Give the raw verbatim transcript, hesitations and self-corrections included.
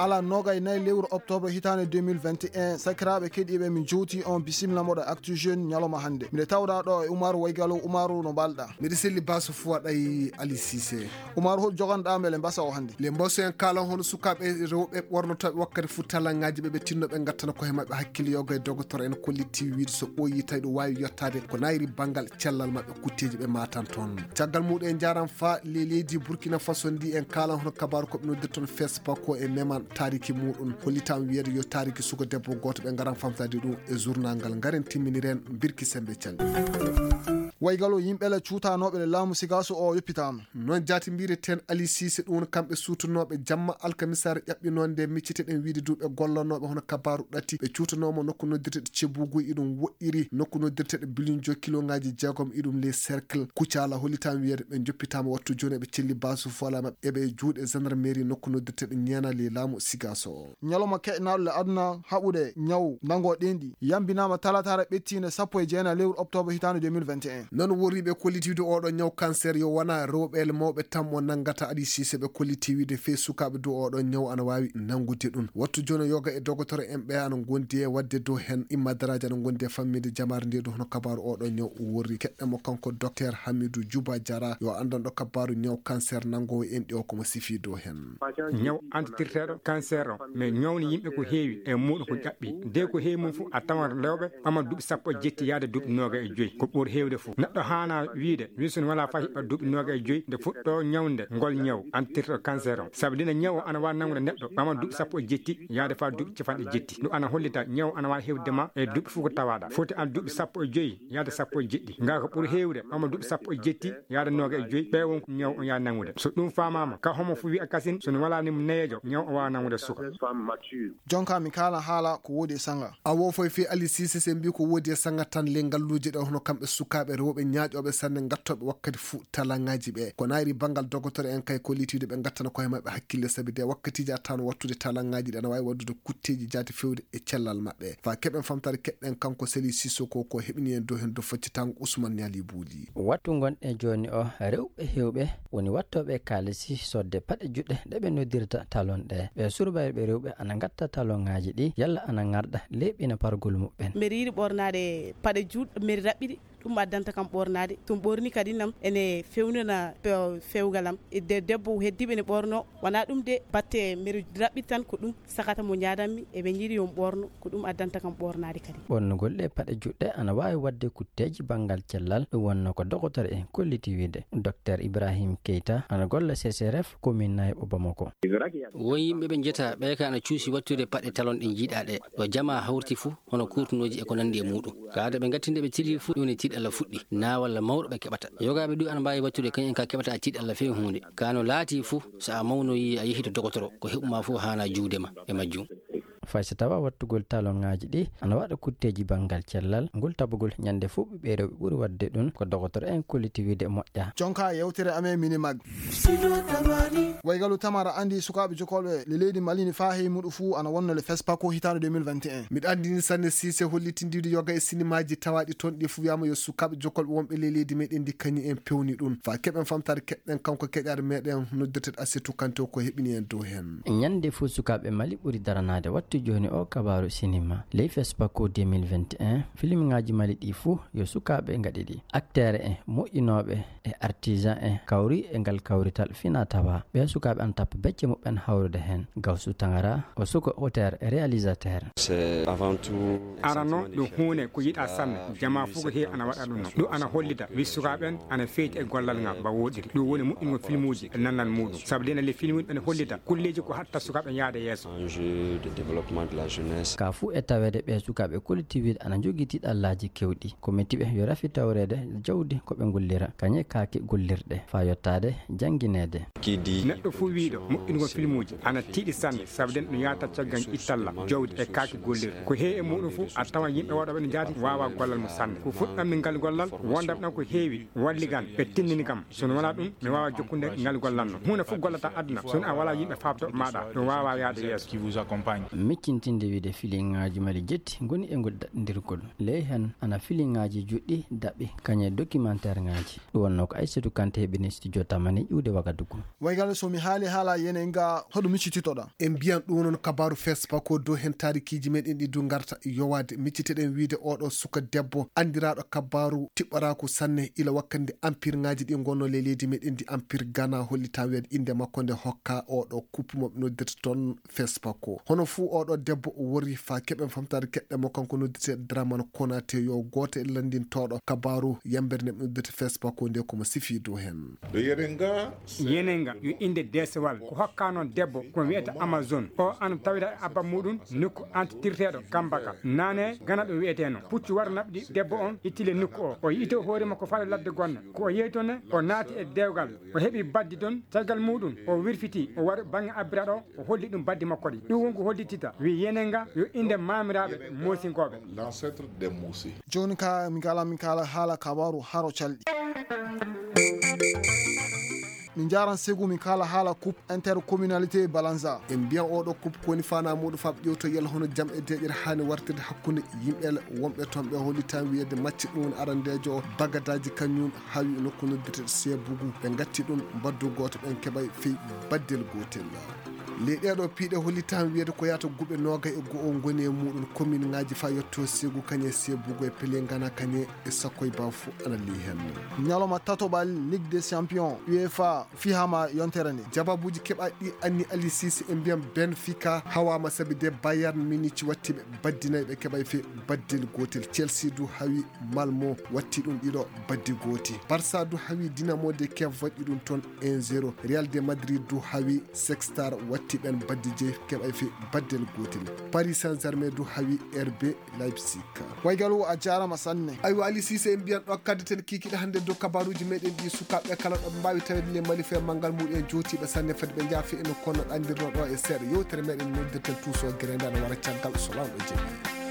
Ala nogay nayi lewru octobre hitaande deux mille vingt et un, sakiraaɓe keɗiiɓe, min jowti on, bisimilla moɗo Actu Jeune ñalawma hannde. Miɗe tawɗaa ɗo e Umaru Waygalo. Umaru, no mbaal-ɗaa? Miɗo selli, Basu Fuwaɗa e Ali Sise. Umaru, hol joganɗaa mbele mbasa o hannde? Le mboso en kaalan hono sukaaɓe rewɓe ɓornotooɓe wakkati fof talangaaji ɓe, ɓe tinno ɓe ngattana koye maɓɓe hakkille. Yoga e dogotoro en kolliti wiide so ɓooyi tawi ɗo waawi yottaade ko nayri banngal cellal maɓɓe kutteeji ɓe matan toon. Caggal muɗum en njaran fa le leydi Burkina Faso ndi en kaalan hono kabaaru ko ɓe noddirta toon Fespako e meman taariki muɗum. Hollitam wiyeede yo taariki suka debbo gooto, ɓe ngaran famtade ɗum e journal ngal. Ngaren timminiren Birki Sembe Cali. Waygalo, yimɓe le cuutanooɓe le laamu Sigaso o yoppitaama. Noon jaati mbireten Ali Sise, ɗum woni kamɓe suutanooɓe jamma alkamisaare ƴaɓɓinoonde micciteɗen wiide duuɓe gollanooɓe hono kabaaru ɗati ɓe cuutanooma nokku noddirteɗe Cebugu, iɗum woɗɗiri nokku noddirteɗe Bilinjo kilongaaji jeegom, iɗum les cercle Kucala. Hollitam wiyeede ɓe joppitaama wattu jooni eɓe celli Basu Fuwaɗa maɓɓe eɓe juuɗe gendarmerie nokku noddirteɗe Ñeena le laamu Sigaso o. Ñalawma keƴnaaɗo le aduna haɓude ñaw nango ɗenɗi yambinaama talataare ɓettiinde sappo e jeenayi lewru octobre hitaande deux mille vingt et un. Noon worriiɓe kollitiiɓe oɗo ñaw cancer yo wona rewɓe le mawɓe tan mo nanngata. Ali Sise, ɓe kolliti wiide fee sukaaɓe dow oɗo ñaw ana waawi nanngude ɗum. Wattu jooni yoga e dogotoro en ɓe ana ngondi e waɗde dow heen. Imma daraaji ana ngondi e fammiinde jamaare nde dow hono kabaaru oɗo ñaw worri. Keɗɗen mo kanko Docteur Hamidou Djouba Diarra yo anndanɗo kabaaru ñaw cancer nanngoowo enɗi o ko mo sifi dow heen. Ñaw antitirteeɗo cancer o, mais ñawni yimɓe ko heewi e muɗum ko ƴaɓɓi. De ko heewi mum fof a tawan rewɓe ɓama duuɓi sappo e jetti yaade duuɓi noga e joyi. Ko ɓuri heewde fof. Neɗɗo haana wiide, wi so wala fay hiɓɓa duuɓi noga e joyi, nde fuɗɗo ñawnde ngol ñaw antitirteeɗo cancer o. Sabu dina ñaw o ana waawi nanngude neɗɗo ɓama duuɓi sappo e jetti yaade fa duuɓi capanɗe jetti. Ɗum ana hollita ñaw ana waawi heewde ma e duuɓi fof ko tawaɗa. Foti an duuɓi sappo e joyi yaade sappo e jeɗɗi. Nga ko ɓuri heewde ɓama duuɓi sappo e jetti yaade noga e joyi, ɓe won ko ñaw o yaa nanngude. So ɗum faamaama, ka homo fof wiya kasin, so no wala ni mo neyeejo, ñaw o waawa nanngude suka. Jonka mi kaala haala ko woodi e sanga. Awo foy fi Ali Sise se mbi ko woodi e sanga tan le ngalluuje ɗe hono kamɓe sukaaɓe rewɓe ñaaƴooɓe sanne ngattooɓe wakkati fuu talangaaji ɓe. Ko nayri banngal dogotoro en kay kollitiiɗo ɓe ngattana koye maɓɓe hakkille sabi de wakkatiiji attano wattude talangaaji ɗe ana waawi waɗdude kutteeji jaati fewde e cellal maɓɓe. Fa keɓen famtaare keɗɗen kanko Seli Sissoko ko heɓini en dow heen dow faccitango Ousmane Niali Bouli. Wattu ngonɗen jooni o, rewɓe heewɓe woni wattooɓe kaalisi sodde paɗe juɗɗe ɗe ɓe noddirta talon ɗe. Ɓe surbayɓe rewɓe ana ngatta talongaaji ɗi, yalla ana ŋarɗa leeɓina pargol muɓɓen. Mbeɗa yiɗi ɓornaade paɗe juɗɗe, mbeɗa raɓɓiɗi, ɗum addanta kam ɓornaade. So mi ɓorni kadi nam ene fewnana pe-, fewgal am. E de-, debbo heddiiɓe ene ɓorno, wonaa ɗum de batte mbeɗa raɓɓiɗi tan ko ɗum. Sakata mo njaadanmi, eɓe njiɗi yo mi ɓoorno, ko ɗum addanta kam ɓoornaade kadi. Ɓoornugol ɗe paɗe juɗɗe ana waawi waɗde kutteeji banngal cellal, ɗum wonno ko dogotoro en kolliti wiide. Docteur Ibrahim Keita ana golla C C R F, commune Nayɓo Bamako. Won yimɓe ɓe njiyata ɓe ka ana cuusi wattude paɗe talon ɗe njiiɗaa ɗe. Ɗo jamaa hawriti fuu, hono kurtunooji e ko nanndi e muuɗum. Ka ado ɓe ngattinde ɓe tilii fuu, ɗum woni tiiɗalla fuɗɗi, naa walla mawɗo ɓe keɓata. Yogaaɓe ɗum ana mbaawi wattude kañum ka keɓata tiiɗalla fee huunde. Ka no laatii fuu, so a mawnoyii a yehi to dogotoro, ko heɓumaa fuu haana juude ma e majjum. Fay so tawa wattugol talongaaji ɗi ana waɗa kutteeji banngal cellal, ngol tabugol ñande fuu ɓiɓɓe rewɓe ɓuri waɗde ɗum ko dogotoro en kolliti wiide moƴƴa. Jonka yewtere amen mini mag. Waygalu tamara andi sukaaɓe jokolɓe le leydi Mali ni faa heyi muɗum fuu ana wonno le FESPACO hitaande deux mille vingt et un. Miɗo anndini sanne Sise hollitindiiɗo yoga e sinimaaji tawaaɗi toon ɗi fuu wiyaama yo sukaaɓe jokolɓe wonɓe ley leydi meɗen ndi kañum en pewni ɗum. Fa keɓen famtaare keɗɗen kanko keƴaare meɗen noddirteɗo Asetu Kante o ko heɓini en dow heen. Ñande fuu sukaaɓe Mali ɓuri daranaade wattu jooni o kabaaru sinima. Ley FESPACO deux mille vingt et un, filmŋaaji Mali ɗi fuu yo sukaaɓe ngaɗi ɗi. Acteur en, moƴƴinooɓe e artisan en kawri e ngal kawrital fina tawa. Ɓee sukaaɓe ana tappa becce muɓɓen hawrude heen. Gawsu Tangara, o suko auteur e réalisateur. C'est avant tout un Arano sentiment de ɗum fierté huunde ko yiɗaa parce que sanne, jamaa fof ko heewi ana waɗa ɗum noon. Ɗum ana hollita wi sukaaɓe en ana feyti e gollal ngal mba woɗɗiri. Ɗum woni moƴƴingol filmuuji e nannal muuɗum. Sabu dena le filmuuji ene hollita kulleeji ko hatta sukaaɓe yaade yeeso. Enjeu de développement de la jeunesse. Ka fuu e taweede ɓee sukaaɓe kollitiiɓe ana njogii tiiɗallaaji kewɗi. Ko metiɓe yo rafi tawreede jawdi ko ɓe ngullira, kañe kaake gollirɗe, faa yottaade janngineede. Neɗɗo fuu wiiɗo moƴƴingol filmuuji ana tiiɗi sanne, sabu den no yaata caggal ittalla, jawdi e kaake gollirɗe. Ko heewi e muuɗum fuu, a tawan yimɓe waɗooɓe no jaati waawaa gollal mum sanne. Ko fuɗɗanmi ngal gollal, wondam ɗon ko heewi walli kam, ɓe tinnini kam. So no walaa ɗum, mi waawaa jokkude ngal gollal no. Huunde fof gollata aduna, so a walaa yimɓe faaftooɓe maaɗa, ɗum waawaa yaade yeeso. Cintinde wiide filiŋaaji mali jetti ngoni e ngol daɗndirgol. Ley heen ana filiŋaaji juɗɗi daɓɓi kañe documentaire ŋaaji. Ɗum wonnoo ko Aissatou Kanté heɓini studio tamani ƴuwde Wagadugu. Waygal so mi haali haala yene nga hoɗo miccititoɗa? En mbiyan ɗum noon kabaru Facebook o dow heen taarikiiji meɗen ɗi du ngarta yowaade. Micciteɗen wiide oɗo suka debbo andiraaɗo kabaru tiɓɓaraaku sanne ila wakkande ampirŋaaji ɗi ngonno ley leydi meɗen ndi ampir Ghana hollitaa wiyeede innde makko nde hokka oɗo kuppu mo ɓe noddirta toon Facebook o. Hono fuu oɗo debbo o wori fa keɓen famtaade keɗɗe mo kanko noddirte Dramane Konate yo gooto e lanndintooɗo kabaru yambere nde ɓe noddirta Facebook o nde komo sifi dow heen. Yenenga yo innde deesewal ko hokka noon debbo ko wiyata Amazon. O ana tawida e abba muɗum nokku antitirteeɗo Kambaka. Nane gana ɗum wiyeteno. Puccu war naɓɗi debbo on ittile nokku o. O yi'ito hoore makko fale ladde gonna. Ko o yehi toon ne, o naati e dewgal. O heɓi baddi toon. Caggal muɗum, o wirfiti, o wari bannge abbira ɗo, o holli ɗum baddi makko ɗi. Ɗum won ko hollitita. Wi yenenga yo innde maamiraaɓe Moosinkooɓe. L'ancêtre des Mosi. Jooni ka mi kala, mi kala haala kabaru haro calɗi. Min njaran segu min kala haala coupe intercommunalité Balanza. En mbiyan oɗo coupe koni fana muɗum fab ƴewto yalla hono jam e deƴere hani wartirde hakkunde yimɓe wonɓe toon ɓe holli tan wiyede macce ɗum woni arandejo o bagadaji kañum hawi nokku noddirte Sebugu ɓe gatti ɗum baddu goto ɓen keɓay fey baddel gotel. Ley ɗeɗo piiɗe holli tan wiyede ko yata guɓe noga e go'o goni e muɗum commune ngaji fa yetto Segu kañe Sebugu e Pelengana kañe e sakko e baw fof ana ley hen. Ñalawma tatoɓal Ligue des Champions UEFA fihama yontere nde. Jababuji keɓaɗi anni Ali Cissé e mbiyan Benfica hawama sabi de Bayern Munich watti ɓe baddinay ɓe keɓay fe baddel gotel. Chelsea du hawi Malmo watti ɗum ɗiɗo baddi gooti. Barça du hawi Dinamo de Kiev waɗi ɗum toon un zéro. Real de Madrid du hawi Sextar watti ɓen baddi jeyi keɓay fe baddel gotel. Paris Saint-Germain du hawi R B Leipzig. Waygalu a jarama sanne. Aywa Ali Cissé en mbiyan ɗo kaddeten kikiɗe hannde dow kabaruji meɗen ɗi sukaɓe kala ɗo ɓe mbawi tawede le Mali fe manngal muɗum en jotiɓe sanne fadi ɓe jaafi eno kono ɗandirno ɗo e seeɗa yewtere meɗen noddirten tuso guerenda no wara caggal so lawɗo jeeyi.